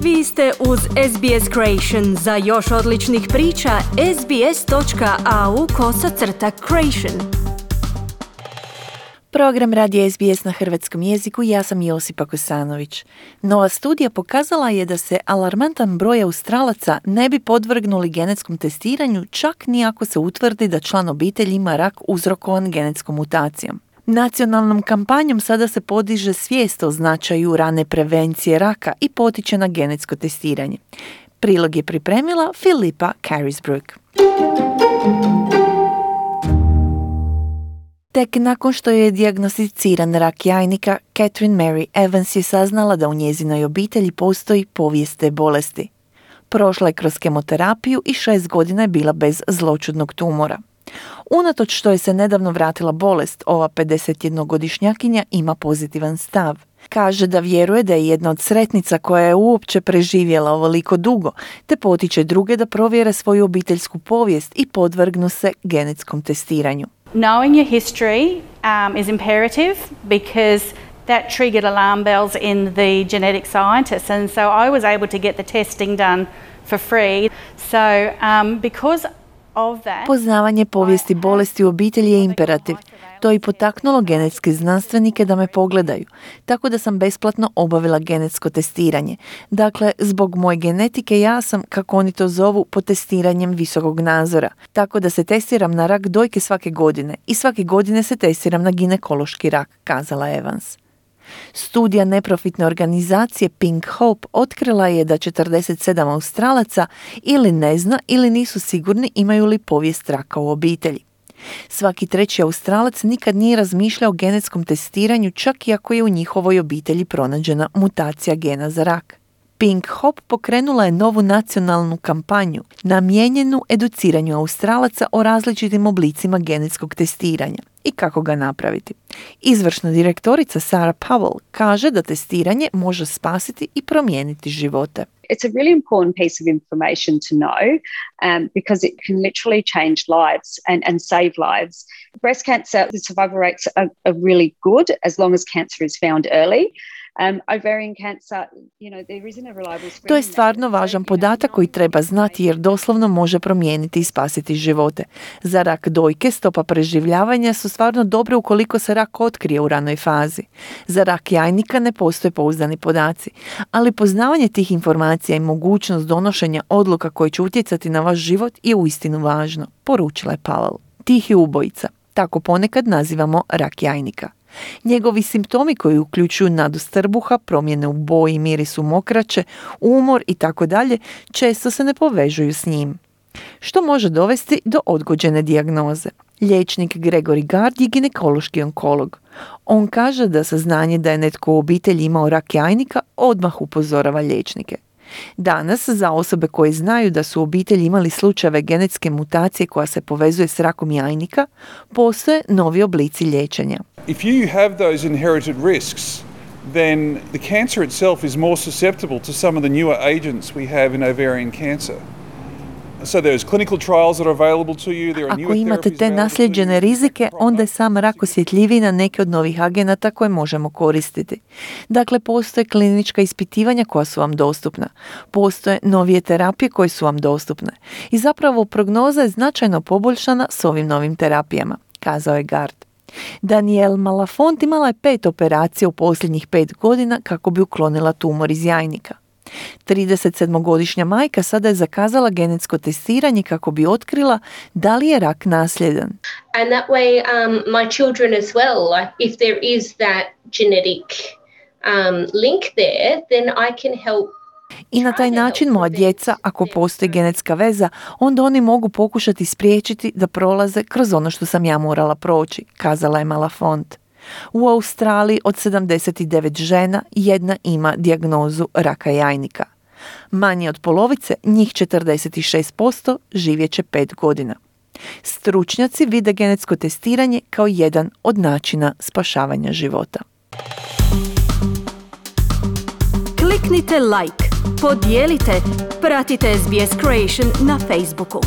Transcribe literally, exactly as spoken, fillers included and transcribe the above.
Vi ste uz S B S Creation. Za još odličnih priča, sbs.au kosacrta creation. Program radi S B S na hrvatskom jeziku, ja sam Josipa Kosanović. Nova studija pokazala je da se alarmantan broj Australaca ne bi podvrgnuli genetskom testiranju čak ni ako se utvrdi da član obitelji ima rak uzrokovan genetskom mutacijom. Nacionalnom kampanjom sada se podiže svijest o značaju rane prevencije raka i potiče na genetsko testiranje. Prilog je pripremila Filipa Carisbrook. Tek nakon što je dijagnosticiran rak jajnika, Catherine Mary Evans je saznala da u njezinoj obitelji postoji povijest te bolesti. Prošla je kroz kemoterapiju i šest godina je bila bez zloćudnog tumora. Unatoč što je se nedavno vratila bolest, ova pedesetjednogodišnjakinja ima pozitivan stav. Kaže da vjeruje da je jedna od sretnica koja je uopće preživjela ovoliko dugo, te potiče druge da provjere svoju obiteljsku povijest i podvrgnu se genetskom testiranju. Knowing your history um, is imperative because that triggered alarm bells in the genetic scientists, and so I was able to get the testing done for free. So um, because of that, Poznavanje povijesti bolesti u obitelji je imperativ. To je i potaknulo genetske znanstvenike da me pogledaju, tako da sam besplatno obavila genetsko testiranje. Dakle, zbog moje genetike ja sam, kako oni to zovu, pod testiranjem visokog nadzora. Tako da se testiram na rak dojke svake godine i svake godine se testiram na ginekološki rak, kazala Evans. Studija neprofitne organizacije Pink Hope otkrila je da četrdeset sedam Australaca ili ne zna ili nisu sigurni imaju li povijest raka u obitelji. Svaki treći Australac nikad nije razmišljao o genetskom testiranju čak i ako je u njihovoj obitelji pronađena mutacija gena za rak. Pink Hope pokrenula je novu nacionalnu kampanju namijenjenu educiranju Australaca o različitim oblicima genetskog testiranja i kako ga napraviti. Izvršna direktorica Sarah Powell kaže da testiranje može spasiti i promijeniti živote. It's a really important piece of information to know um, because it can literally change lives and, and save lives. Breast cancer, the survival rates are, are really good as long as cancer is found early. Um, ovarian cancer, you know, there isn't a reliable screening. To je stvarno važan podatak koji treba znati jer doslovno može promijeniti i spasiti živote. Za rak dojke stopa preživljavanja su stvarno dobre ukoliko se rak otkrije u ranoj fazi. Za rak jajnika ne postoje pouzdani podaci, ali poznavanje tih informacija i mogućnost donošenja odluka koje će utjecati na vaš život je uistinu važno, poručila je Powell. Tihi ubojica, tako ponekad nazivamo rak jajnika. Njegovi simptomi koji uključuju nadost trbuha, promjene u boji i mirisu mokraće, umor i tako dalje, često se ne povežuju s njim. Što može dovesti do odgođene dijagnoze. Liječnik Gregory Gard je ginekološki onkolog. On kaže da saznanje da je netko u obitelji imao rak jajnika odmah upozorava liječnike. Danas, za osobe koje znaju da su u obitelji imali slučajeve genetske mutacije koja se povezuje s rakom jajnika, postoje novi oblici liječenja. If you have those inherited risks, then the cancer itself is more susceptible to some of the newer agents we have in ovarian cancer. So there's clinical trials that are available to you. There are Ako imate te nasljeđene rizike, onda je sam rak osjetljiviji na neke od novih agenata koje možemo koristiti. Dakle, postoje klinička ispitivanja koja su vam dostupna. Postoje novije terapije koje su vam dostupne. I zapravo prognoza je značajno poboljšana s ovim novim terapijama, kazao je Gard. Danielle Malafont imala je pet operacija u posljednjih pet godina kako bi uklonila tumor iz jajnika. tridesetsedmogodišnja majka sada je zakazala genetsko testiranje kako bi otkrila da li je rak nasljedan. And that way um, my children as well, like if there is that genetic um, link there, then I can help. I na taj način moja djeca, ako postoji genetska veza, onda oni mogu pokušati spriječiti da prolaze kroz ono što sam ja morala proći, kazala je Malafont. U Australiji od sedamdeset devet žena jedna ima dijagnozu raka jajnika. Manje od polovice, njih četrdeset šest posto, živjet će pet godina. Stručnjaci vide genetsko testiranje kao jedan od načina spašavanja života. Kliknite like, podijelite, pratite S B S Creation na Facebooku.